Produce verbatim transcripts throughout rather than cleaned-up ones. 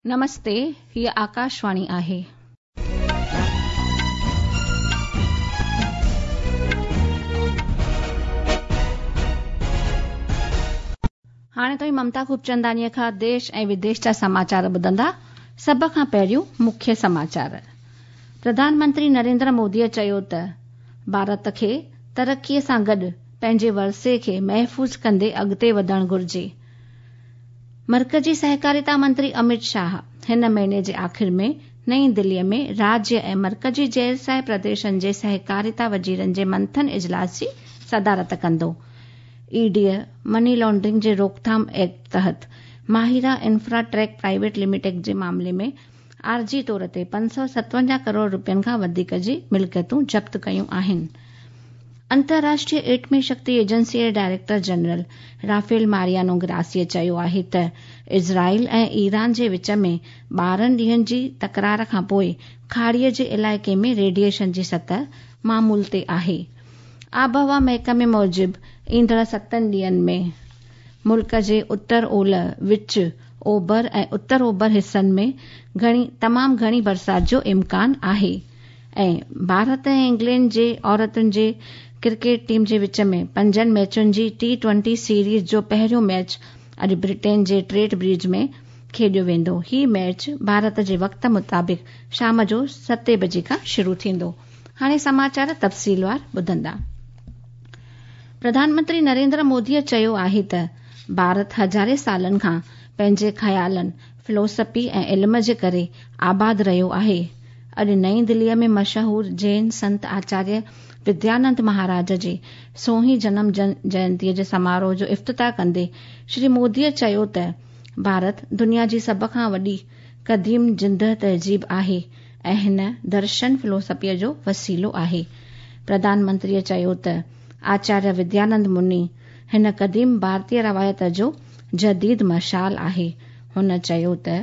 नमस्ते, हीअ आकाशवाणी आहे। हाणे तव्हीं ममता खूबचंदानीअ खां देश ऐं विदेश जा समाचार ॿुधंदा। सभ खां पहिरियों मुख्य समाचार। प्रधानमंत्री नरेंद्र मोदीअ चयो त भारत खे तरक़ीअ सां गॾु पंहिंजे वरसे खे महफ़ूज़ कंदे अॻिते वधणु घुरिजे। मर्कज़ी सहकारिता मंत्री अमित शाह हिन महीने जे आख़िर में नई दिल्लीअ में राज्य ऐं मर्कज़ी ज़ेर प्रदेशनि जे सहकारिता वज़ीरनि जे मंथन इजलास जी सदारत कंदो। ईडीअ मनी लॉन्ड्रिंग जे रोकथाम एक्ट तहत माहिरा इन्फ्राट्रैक प्राइवेट लिमिटेड जे मामले में आर्जी तौर ते पंज सौ सतवंजाह करोड़ रुपयनि खां वधीक जी मिल्कियतूं ज़ब्त कयूं आहिनि। अंतर्राष्ट्रीय एटमी शक्ति एजेंसी जे डायरेक्टर जनरल राफेल मारियानो ग्रासीअ चयो आहे त इज़राइल ऐं ईरान जे विच में ॿारहं ॾींहंनि जी तकरार खां पोइ खाड़ीअ जे इलाइक़े में रेडिएशन जी सतह मामूल ते आहे। आबहवा महकमे मूजिबि ईंदड़ सतनि ॾींहंनि में मुल्क जे उत्तर ओलह, विच ओभर ऐं उत्तर ओभर हिसनि में घणी तमामु घणी बरसाति जो इम्कान आहे ऐं भारत ऐं इंग्लैंड जे औरतुनि जे क्रिकेट टीम जे विच में पंजनि मैचुनि जी टी ट्वेंटी सीरीज़ जो पहिरियों मैच अॼु ब्रिटेन जे ट्रेंट ब्रिज में खेॾियो वेंदो। ही मैच भारत जे वक़्त मुताबिक़ शाम जो सते बजे खां शुरू थींदो। हाणे समाचार तफ़सीलवार ॿुधंदा। प्रधानमंत्री नरेंद्र मोदीअ चयो आहे त भारत हज़ारे सालनि खां पंहिंजे ख़यालनि, फिलोसफी ऐं इल्म जे करे आबाद रहियो आहे। अॼु नई दिल्लीअ में मशहूर जैन संत आचार्य विद्यानंद महाराज जे सोहीं जनम जयंतीअ जे समारोह जो इफ़्तिताह कंदे श्री मोदीअ चयो त भारत दुनिया जी सभ खां वॾी क़दीम ज़िंदह तहज़ीब आहे ऐं हिन दर्शन फिलोसफीअ जो वसीलो आहे। प्रधानमंत्रीअ चयो त आचार्य विद्यानंद मुनि हिन क़दीम भारतीय रवायत जो जदीद मशाल आहे। हुन चयो त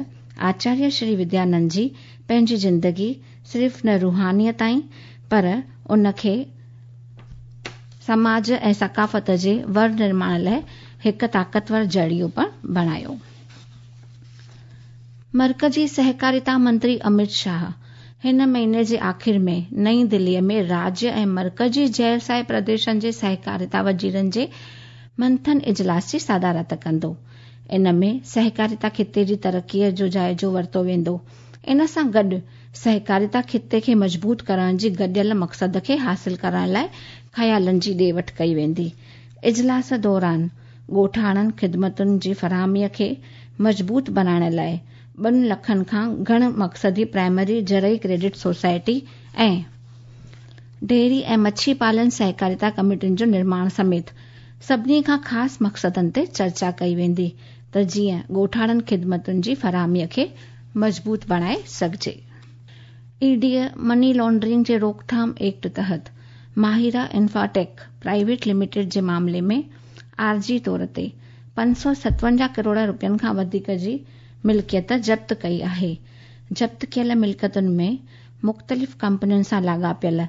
आचार्य श्री विद्यानंद जी पंहिंजी ज़िंदगी सिर्फ़ न रूहानियत ताईं पर उनखे समाज ऐं सकाफ़त जे वर निर्माण लाइ हिकु ताक़तवर ज़रियो पिणु बणायो। मर्कज़ी सहकारिता मंत्री अमित शाह हिन महीने जे आख़िर में नई दिल्लीअ में राज्य ऐं मर्कज़ी ज़ेर प्रदेशनि जे सहकारिता वज़ीरनि जे मंथन इजलास जी सदारत कंदो। इन में सहकारिता ख़िते जी तरक़ीअ जो जाइज़ो वरितो वेंदो। इन सां गॾु सहकारिता ख़िते खे मज़बूत करण जी गॾियल मक़सद खे हासिल करण लाइ ख़यालनि जी ॾे वठि कई वेंदी। इजलास दौरान ॻोठाणनि ख़िदमतुनि जी फराहमीअ खे मज़बूत बणाइण लाइ ॿनि लखनि खां घण मक़सदी प्राइमरी ज़रई क्रेडिट सोसाइटी ऐं डेयरी ऐं मच्छी पालन सहकारिता कमेटियुनि जो निर्माण समेत सभिनी खां ख़ासि मक़सदनि ते चर्चा कई वेंदी त जीअं ॻोठाणनि ख़िदमतुनि जी फराहमीअ खे मज़बूत बणाए सघिजे। ईडीअ मनी लॉन्ड्रिंग जे रोकथाम एक्ट तहत माहिरा इन्फ्राटेक प्राइवेट लिमिटेड जे मामले में आर्जी तौर ते पंज सौ सतवंजाह करोड़ रुपयनि खां वधीक जी मिल्कियत ज़ब्त कई आहे। ज़ब्त कयल मिल्कियतुनि में मुख़्तलिफ़ कंपनियुनि सां लाॻापियल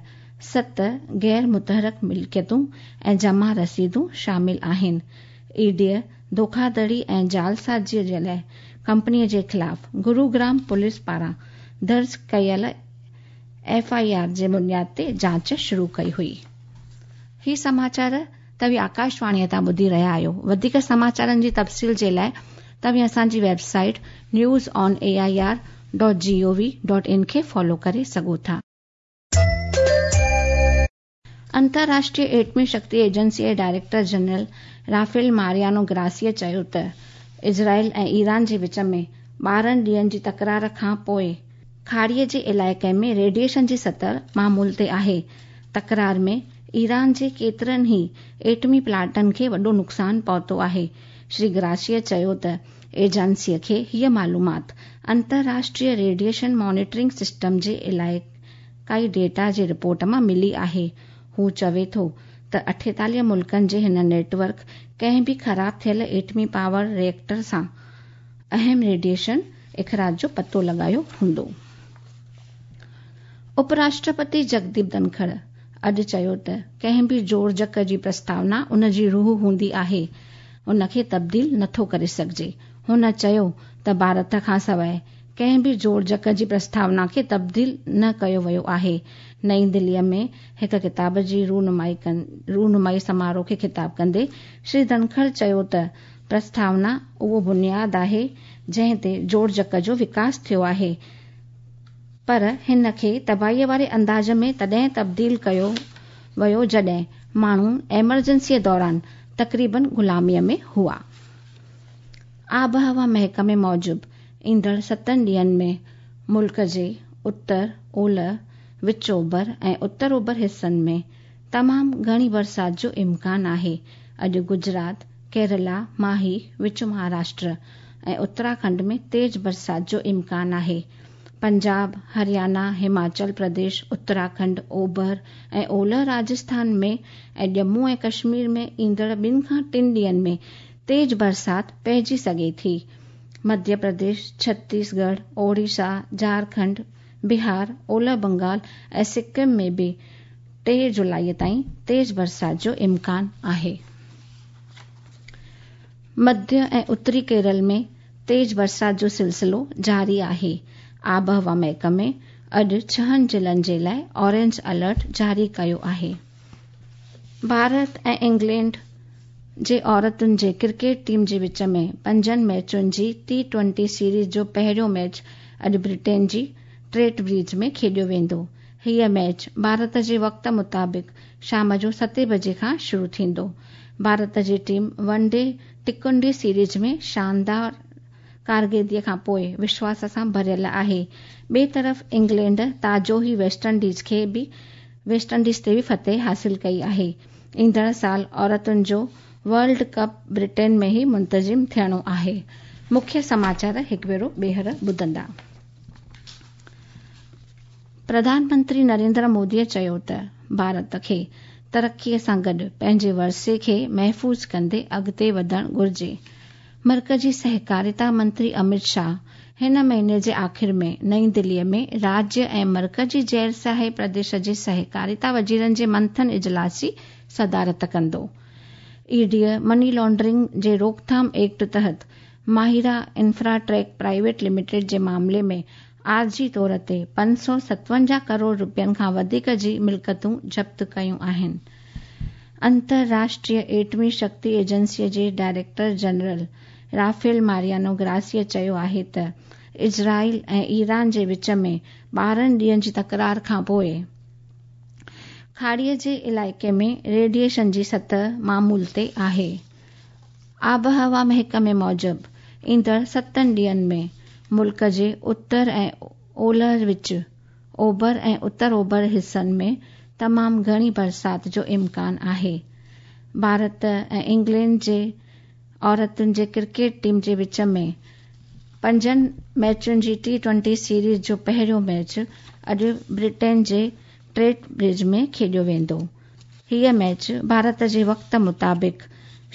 सत गैर मुतहरक मिल्कियतूं ऐं जमा रसीदूं शामिल आहिनि। ईडीअ धोखाधड़ी ऐं जालसाज़ीअ जे लाइ कंपनीअ जे ख़िलाफ़ गुरुग्राम पुलिस पारां दर्ज कयल एफ I R J बुनियाद ते जांच शुरू कई हुई। ही समाचार तव्हीं आकाशवाणीअ तां ॿुधी रहिया आहियो। वधीक समाचारनि जी तफ़सील जे लाइ तव्हीं असांजी website news on A I R dot G O V dot in खे फॉलो करे सघो था। अंतर्राष्ट्रीय एटमी शक्ति एजेंसी जे डायरेक्टर जनरल राफेल मारियानो ग्रासीअ चयो त इज़राइल ऐं ईरान जे विच में ॿारहं ॾींहंनि जी तकरार खां पोइ खाड़ीअ जे इलाइक़े में रेडिएशन जी सतह मामूल ते आहे। तकरार में ईरान जे केतिरनि ई एटमी प्लांटनि खे वॾो नुक़सानु पहुतो आहे। श्री ग्रासीअ चयो त एजेंसीअ खे हीअ मालूमात अंतर्राष्ट्रीय रेडिएशन मॉनिटरिंग सिस्टम जे इलाइक़ाई डेटा जे रिपोर्ट मां मिली आहे। हू चवे थो त अठेतालीह मुल्कनि जे हिन नेटवर्क कंहिं बि ख़राब थियल एटमी पावर रिएक्टर सां अहम रेडिएशन अख़राज जो पतो लॻायो हूंदो। उपराष्ट्रपति जगदीप धनखड़ अॼु चयो त कंहिं बि जोड़जक जी प्रस्तावना उन जी रूह हूंदी आहे, उनखे तब्दील नथो करे सघिजे। हुन चयो त भारत खां सवाइ ڪنهن به جوڙجڪ جي پرستاونا کي تبديل نه ڪيو ويو آهي. نئين دليء ۾ هڪ ڪتاب جي رونمائي سماروهه کي خطاب ڪندي شري ڌنکڙ چيو ته پرستاونا اهو بنياد آهي جنهن تي جوڙجڪ جو وڪاس ٿيو آهي، پر هن کي تباهيء واري انداز ۾ تڏهن تبديل ڪيو ويو جڏهن ماڻهو ايمرجنسيء دوران تقريبن غلاميء ۾ هئا. آبهوا محڪمي موجب ايندڙ ستن ڏينهن ۾ ملڪ جي اتر، اولهه، وچ اوڀر ۽ اتر اوڀر حصن ۾ تمام گهڻي برسات جو امڪان آهي. اڄ گجرات، ڪيرالا، ماهي، وچ مهاراشٽر ۽ اتراکنڊ ۾ تيز برسات جو امڪان آهي. پنجاب، هريانا، هماچل پرديش، اتراکنڊ، اوڀر ۽ اولهه راجسٿان ۾ ۽ ڄمون ۽ ڪشمير ۾ ايندڙ ٻن کان ٽن ڏينهن ۾ تيز برسات پئجي سگهي ٿي. مڌيه پرديش، ڇتيسڳڙهه، اوڙيسا، جهارکنڊ، بهار، اولهه بنگال ۽ سڪم ۾ به ٽي جولاءِ تائين تيز برسات جو امڪان آهي. مڌيه ۽ اتري ڪيرل ۾ تيز برسات جو سلسلو جاري آهي. آبهوا محڪمي اڄ ڇهن ضلعن جي لاءِ اورينج الرٽ جاري ڪيو آهي. ڀارت ۽ انگلينڊ جي عورتن جي ڪرڪيٽ ٽيم جي وچ ۾ پنجن ميچن جي ٽي ٽوئنٽي سيريز جو پهريون ميچ اڄ برٽين جي ٽرينٽ برج ۾ کيڏيو ويندو. هيءَ ميچ ڀارت جي وقت مطابق شام جو ستين بجي کان شروع ٿيندو. ڀارت جي ٽيم ون ڊي ٽڪنڊي سيريز ۾ شاندار ڪارڪردگيءَ کان پوءِ وشواس سان ڀريل آهي. ٻئي طرف انگلينڊ تازو ئي ويسٽ انڊيز کي به ويسٽ انڊيز تي به فتح حاصل ڪئي آهي. ايندڙ سال عورتن جو ورلڊ ڪپ برٽين ۾ ئي منتظم ٿيڻو آهي. مکيه سماچار هڪ ڀيرو ٻيهر ٻڌندا. پرڌان منتري نريندر موديءَ چيو ته ڀارت کي ترقيءَ سان گڏ پنهنجي ورثي کي محفوظ ڪندي اڳتي وڌڻ گهرجي. مرڪزي سهڪاريتا منتري امت شاهه هن مهيني جي آخر ۾ نئين دليءَ ۾ راجيه ۽ مرڪزي غير شاهي پرديش جي سهڪاريتا وزيرن جي منٿن اجلاس جي صدارت ڪندو. اي ڊيءَ مني لانڊرنگ جي روڪٿام ايڪٽ تحت ماهرا انفراٽيڪ پرائيويٽ لميٽيڊ جي معاملي ۾ عارضي طور تي پنج سؤ ستونجاهه ڪروڙ رپين کان وڌيڪ جي ملڪيتون ضبط ڪيون آهن. انترراشٽريه ايٽمي شڪتي ايجنسيءَ جي ڊائريڪٽر جنرل رافيل ماريانو گراسيءَ چيو آهي ته اسرائيل ۽ ايران جي وچ ۾ ٻارهن ڏينهن جي تڪرار کان پوءِ کاڙيءَ جي علائقي ۾ ريڊيئيشن جي سطح معمول تي آهي. آبهوا محڪمي موجب ايندڙ ستن ڏينهن ۾ ملڪ جي اتر ۽ اولهه وچ اوڀر ۽ اتر اوڀر حصن ۾ تمام گهڻي برسات جو امڪان آهي. ڀارت ۽ انگلينڊ جي عورتن جي ڪرڪيٽ ٽيم جي وچ ۾ پنجن ميچن جي ٽي ٽوئنٽي سيريز جو پهريون ميچ اڄ برٽين جي ٽرينٽ برج ۾ کيڏيو ويندو. هيءَ ميچ ڀارت جي وقت مطابق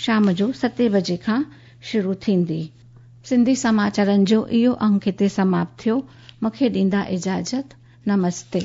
شام جو ستين بجي کان شروع ٿيندي. سنڌي سماچارن جو اهو انگ هتي سماپت ٿيو. مون کي ڏيندا اجازت. نمستي.